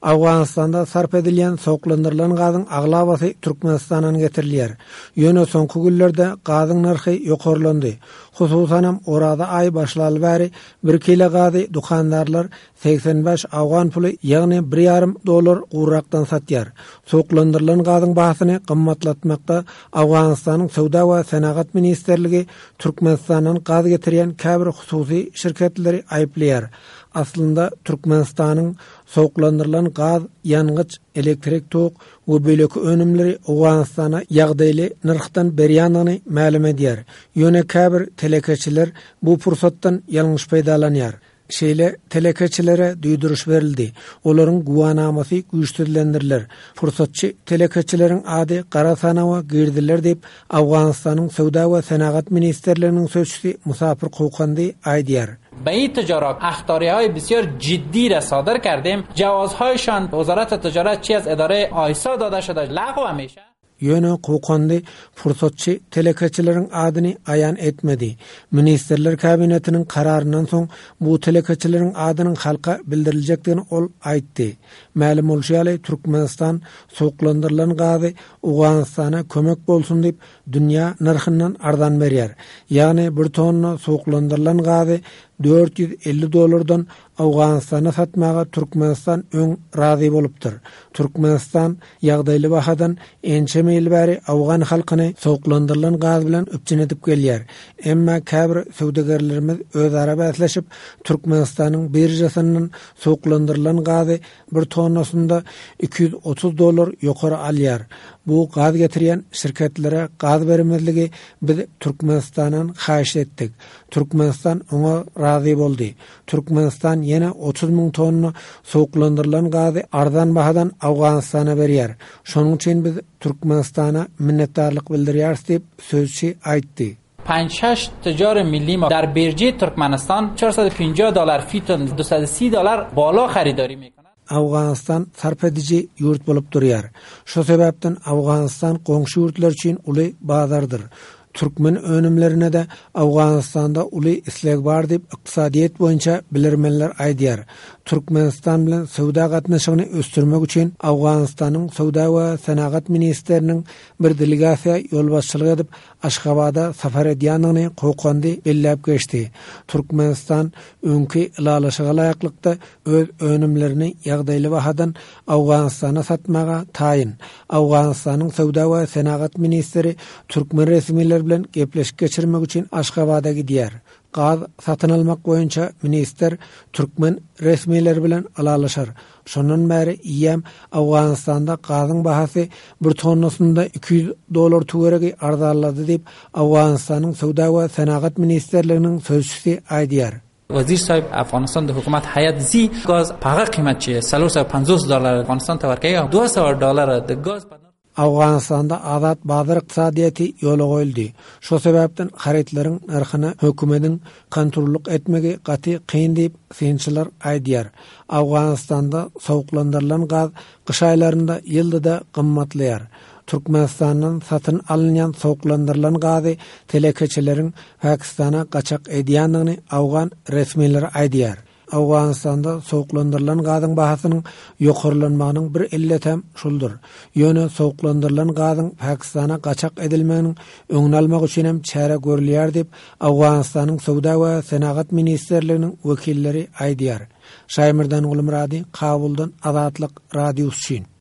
Owganystanda sarp edilýän sowuklandyrylan gazyň aglabasy Türkmenistandan getirilýär. Ýöne soňky günlerde gazyň nyrhy ýokarlandy. Hususanam, Oraza aýy başlaly bäri bir kile gazy dükandarlar 85 owgan puly, ýagny bir ýarym dollar gurrakdan satýar. Suwuklandyrylan gazyň bahasyny gymmatlatmakda Owganystanyň Söwda we senagat ministrligi Türkmenistandan gaz getirýän käbir hususy şirketleri aýyplaýar. Aslynda Türkmenistanyň suwuklandyrylan gaz, ýangyç, elektrik tok we beýleki önümleri Owganystana ýagdaýly nyrhdan berýändigini mälim edýär. Ýöne käbir telekeçiler bu pursatdan ýalňyş peýdalanýar. Şeýle telekeçilere duýduryş berildi. Olaryň güwänamasy güýçsüzlendiriler. Pursatçy telekeçileriň ady gara sanawa giriziler diýip, Owganystanyň Söwda we senagat ministrliginiň sözçüsi Musapyr Kokandi aýdýar. به این تجارت اخطاریهای بسیار جدی را صادر کردیم جوازهایشان وزارت تجارت چی از اداره آیسا داده شده لغو میشه. Ýöne Kokandi pursatçy telekeçileriň adyny aýan etmedi. Ministrler Kabinetiniň kararyndan soň bu telekeçileriň adynyň halka bildiriljekdigini ol aýtdy. Mälim bolşy ýaly, Türkmenistan suwuklandyrylan gazy Owganystana kömek bolsun diýip, dünýä nyrhyndan arzan berýär. Ýagny bir tonna suwuklandyrylan gazy 450 dollardan Owganystana satmaga Türkmenistan öň razy bolupdyr. Türkmenistan ýagdaýly bahadan ençeme ýyl bäri owgan halkyny suwuklandyrylan gaz bilen üpjün edip gelýär. Emma käbir söwdagärlerimiz özara bäsleşip, Türkmenistanyň biržasyndan suwuklandyrylan gazy bir tonnasynda 230 dollar ýokary alýar. Bu gaz getirýän şirketlere gaz bermezligi biz Türkmenistandan haýyşt etdik. Türkmenistan oňa razy boldy. Türkmenistan ýene 30 müň tonna suwuklandyrylan gazy arzan bahadan Owganystana berýär. Şonuň üçin biz Türkmenistana minnetdarlyk bildirýäris diýip, sözçi aýtdy. Panç-şeş tüccar milli ma der birji Türkmenistan 450 dollar fi ton 230 dollar bala haridari mekonand. Owganystan sarp ediji ýurt bolup durýar. Şo sebäpden Owganystan goňşy ýurtlar üçin uly bazardyr. Türkmen önümlerine-de Owganystanda uly isleg bar diýip, ykdysadyýet boýunça bilermenler aýdýar. Türkmenistan bilen söwda gatnaşygyny ösdürmek üçin Owganystanyň Söwda we senagat ministriniň bir delegasiýa ýolbaşçylyk edip, Aşgabada sapar edýändigini Kokandi belläp geçdi. Türkmenistan öňki ylalaşyga laýyklykda öz önümlerini ýagdaýly bahadan Owganystana satmaga taýyn. Owganystanyň söwda we senagat ministri türkmen resmileri bilen gepleşik geçirmek üçin Aşgabada gidýär. Gaz satyn almak boýunça ministr türkmen resmileri bilen ylalaşar. Şondan bäri eýýäm Owganystanda gazyň bahasy bir tonnasynda 200 dollar töweregi arzanlady diýip, Owganystanyň Söwda we senagat ministrliginiň sözçüsi aýdýar. وزیر صاحب افغانستان د حکومت هیئت زی گاز په هغه قیمت چې 450 ډالر افغانستان ته ورکوي 200 ډالر د ګاز په Owganystanda azat bazar ykdysadyýeti ýola goýuldy. Şo sebäpden harytlaryň nyrhyna hökümediň kontrollyk etmegi gaty kyn diýip, synçylar aýdýar. Owganystanda sowuklandyrylan gaz gyş aýlarynda ýylda-da gymmatlaýar. Türkmenistandan satyn alynýan sowuklandyrylan gazy telekeçileriň Pakistana gaçak edýändigini owgan resmileri aýdýar. Owganystanda sowuklandyrylan gazyň bahasynyň ýokarlanmagynyň bir illetem şuldur. Ýöne sowuklandyrylan gazyň Pakistana gaçak edilmeginiň öňüni almak üçin hem çäre görülýär diýip, Owganystanyň Söwda we senagat ministrliginiň wekilleri aýdýar. Şaýmyrdan Gulmyrady, Kabuldan Azatlyk Radiosy üçin.